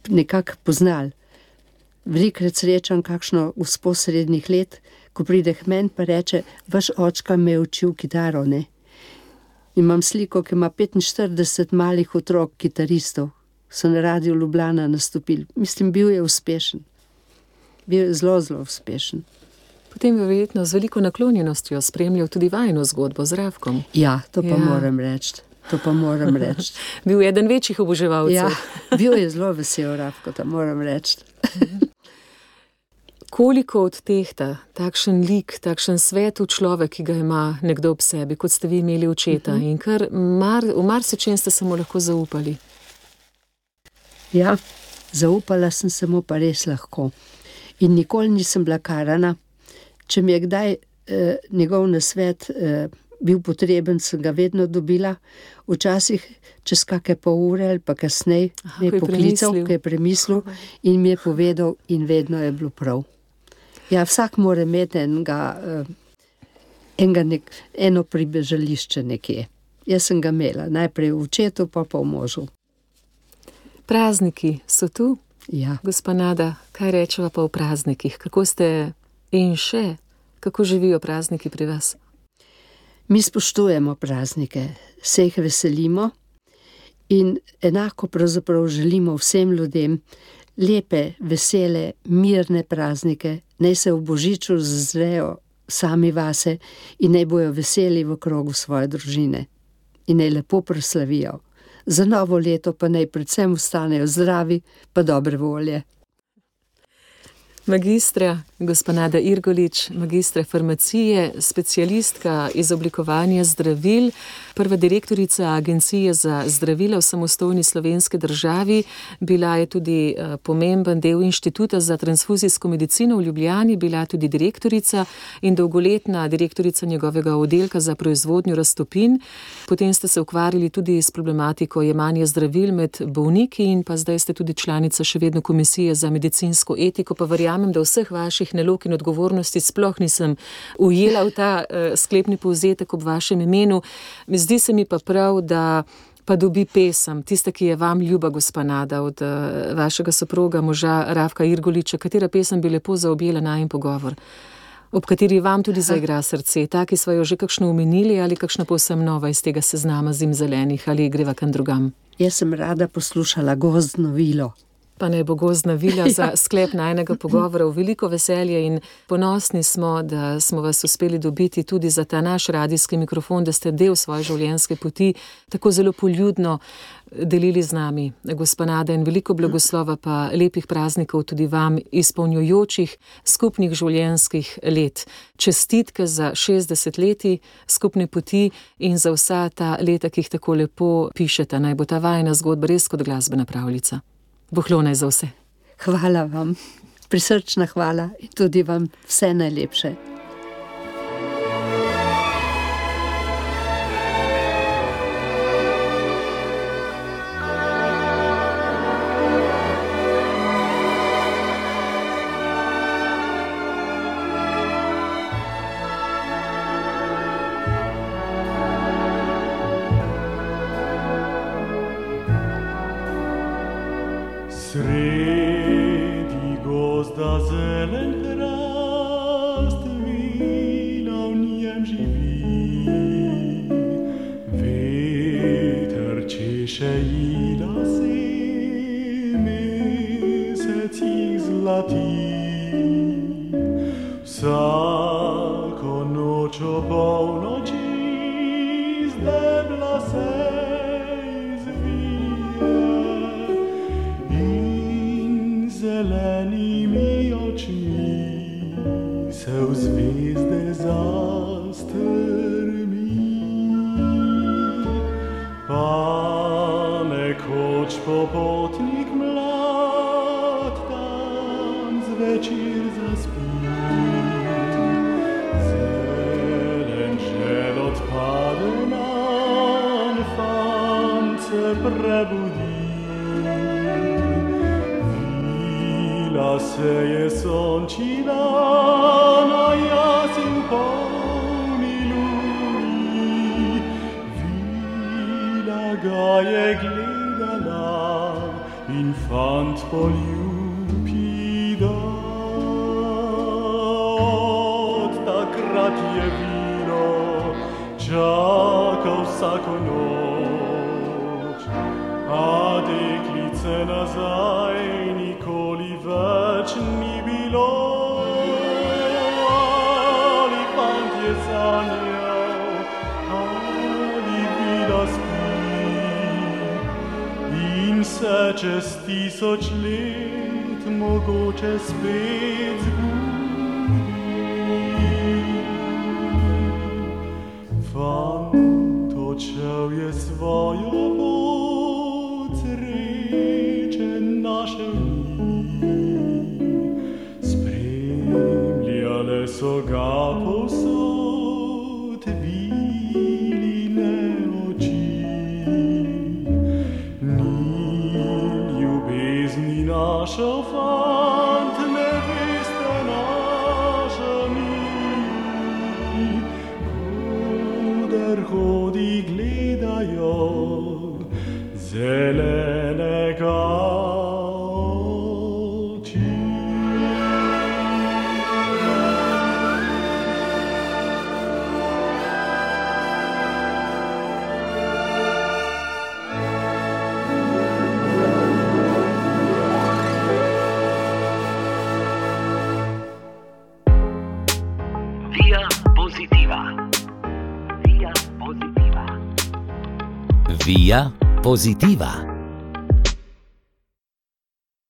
nekako poznali. Velikokrat srečam kakšno gospo srednjih let, ko pride k meni pa reče, vaš očka me je učil kitaro, ne? Imam sliko, ki ima petinštirideset malih otrok, kitaristov. So na Radiu Ljubljana nastopili. Mislim, bil je uspešen. Bil je zelo, zelo uspešen. Potem je verjetno z veliko naklonjenostjo spremljal tudi vajino zgodbo z Rafkom. Ja, to pa Ja. moram reči. To pa moram reči. Bil je eden večjih oboževalcev. Ja, bil je zelo vesel Rafko, to moram reči. Koliko odtehta takšen lik, takšen svetu človek, ki ga ima nekdo ob sebi, kot ste vi imeli očeta, in kar mar, v marsičem ste se mu lahko zaupali? Ja, zaupala sem se mu pa res lahko. In nikoli nisem bila karana. Če mi je kdaj eh, njegov nasvet eh, bil potreben, sem ga vedno dobila. Včasih čez kakšne pol ure ali pa kasneje Aha, me je ko je poklical, premislil. ko je premislil in mi je povedal in vedno je bilo prav. Ja, vsak mora imeti enega, eh, enega nek, eno pribežališče nekje. Jaz sem ga imela, najprej v očetu, pa pa v možu. Prazniki so tu, Ja. gospa Nada, kaj rečeva pa o praznikih? Kako ste in še, kako živijo prazniki pri vas? Mi spoštujemo praznike, se jih veselimo in enako pravzaprav želimo vsem ljudem lepe, vesele, mirne praznike, naj se v božiču zazrejo sami vase in naj bojo veseli v krogu svoje družine in naj lepo proslavijo. Za novo leto pa naj predvsem ostanejo zdravi pa dobre volje. Magistra, gospa Nada Irgolič, magistra farmacije, specialistka iz oblikovanja zdravil, prva direktorica Agencije za zdravila v samostojni slovenski državi, bila je tudi uh, pomemben del Inštituta za transfuzijsko medicino v Ljubljani, bila tudi direktorica in dolgoletna direktorica njegovega oddelka za proizvodnjo raztopin. Potem ste se ukvarjali tudi s problematiko jemanja zdravil med bolniki in pa zdaj ste tudi članica še vedno Komisije za medicinsko etiko, pa verjamem, da vseh vaših nalog in odgovornosti sploh nisem ujela v ta uh, sklepni povzetek ob vašem imenu. Zdi se mi pa prav, da pa dobi pesem, tista, ki je vam ljuba, gospa Nada, od uh, vašega soproga, moža Rafka Irgoliča, katera pesem bi lepo zaobjela najin pogovor, ob kateri vam tudi zaigra srce, ta, ki sva jo že kakšno omenili ali kakšna povsem nova iz tega seznama zim zelenih ali greva kam drugam. Jaz sem rada poslušala Gozdno vilo. Pa naj bo Gozdna vila za sklep najnega pogovora v veliko veselje in ponosni smo, da smo vas uspeli dobiti tudi za ta naš radijski mikrofon, da ste del svoje življenjske poti tako zelo poljudno delili z nami, gospa Nada, in veliko blagoslova pa lepih praznikov tudi vam, izpolnjujočih skupnih življenjskih let. Čestitke za šestdeset leti skupne poti in za vsa ta leta, ki jih tako lepo pišete. Naj bo ta vajina zgodba res kot glasbena pravljica. Bohlonaj za vse. Hvala vam, prisrčna hvala in tudi vam vse najlepše. Sredi gozda zelen hrast, vila v njem živi. Veter češe ji lase, mesec jih zlati. Vsako noč ob polnoči z debla se se v zvezde zastrmi. Pa nekoč popotnik mlad tam zvečer zaspi. Zelen žel odpade nam, fant se prebudi. Vila se je sončila na jasen polni luni. Vila ga je gledala in fant poljubi dan. Od takrat je vilo čakal vsako noč, a deklice nazaj nikoli več ni bilo. Ali fant je sanjal, ali vila spi in se čez tisoč let mogoče spet zbudi. Fant odšel je svojo pot, sreče našel ni. Spremljale so ga povsod viline oči. Ni ljubezni našel fant, neveste naša ni. Koder hodi gledajo zelenega oči. Via Positiva. Via Positiva. Via Positiva.